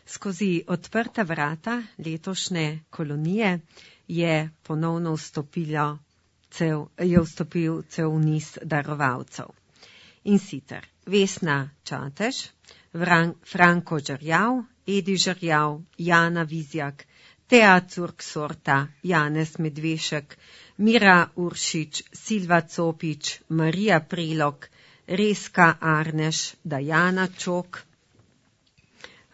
Skozi odprta vrata letošnje kolonije je ponovno vstopil cel niz darovalcev. In sicer Vesna Čatež, Franko Žerjav, Edi Žerjav, Jana Vizjak, Tea Curk-Sorta, Janez Medvešek, Mira Uršič, Silva Copič, Marija Prelog, Reska Arneš, Dajana Čok,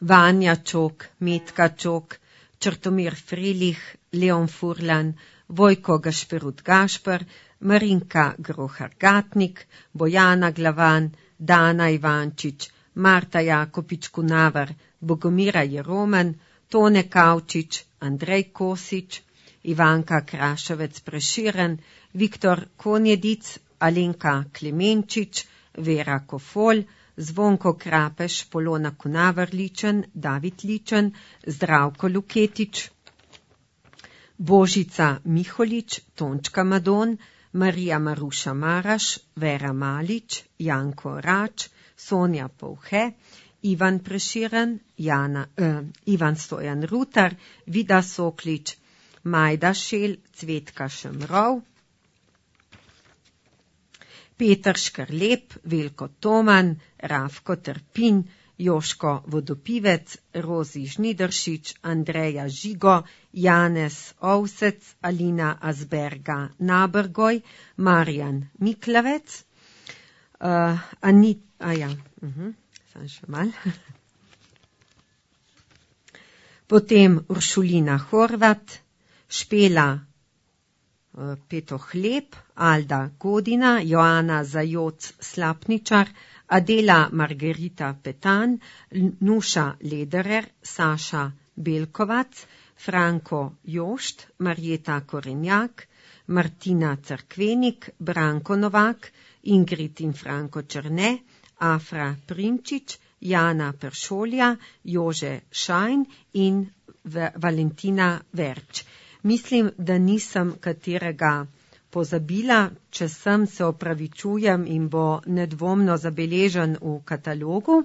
Vanja Čok, Metka Čok, Črtomir Frelih, Leon Furlan, Vojko Gašperut Gašper, Marinka Grohar-Gatnik, Bojana Glavan, Dana Ivančič, Marta Jakopič-Kunavar, Bogomira Jeroman, Tone Kavčič, Andrej Kosič, Ivanka Kraševec-Preširen, Viktor Konjedic, Alenka Klemenčič, Vera Kofol, Zvonko Krapeš, Polona Kunavar-Ličen, David Ličen, Zdravko Luketič, Božica Miholič, Tončka Madon, Marija Maruša Maraš, Vera Malič, Janko Rač, Sonja Povhe, Ivan Preširen, Ivan Stojan Rutar, Vida Soklič, Majda Šel, Cvetka Šemrov, Peter Škrlep, Veljko Toman, Rafko Trpin, Joško Vodopivec, Rozi Žnideršič, Andreja Žigo, Janez Ovsec, Alina Azberga Nabergoj, Marjan Miklavec, Potem Uršulina Horvat, Špela Petohleb, Alda Godina, Joana Zajoc Slapničar, Adela Margarita Petan, Nuša Lederer, Saša Belkovac, Franko Jošt, Marjeta Korenjak, Martina Cerkvenik, Branko Novak, Ingrid in Franko Črne, Afra Primčič, Jana Peršolja, Jože Šajn in Valentina Verč. Mislim, da nisem katerega pozabila, če sem, se opravičujem in bo nedvomno zabeležen v katalogu.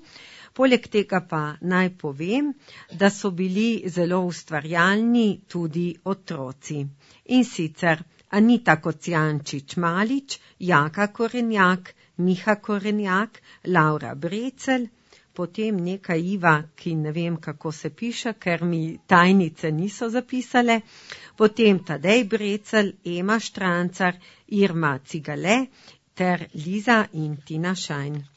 Poleg tega pa naj povem, da so bili zelo ustvarjalni tudi otroci. In sicer Anita Kocijančič-Malič, Jaka Korenjak, Miha Korenjak, Laura Brecelj, potem neka Iva, ki ne vem, kako se piše, ker mi tajnice niso zapisale, potem Tadej Brecelj, Ema Štrancar, Irma Cigale ter Liza in Tina Šajn.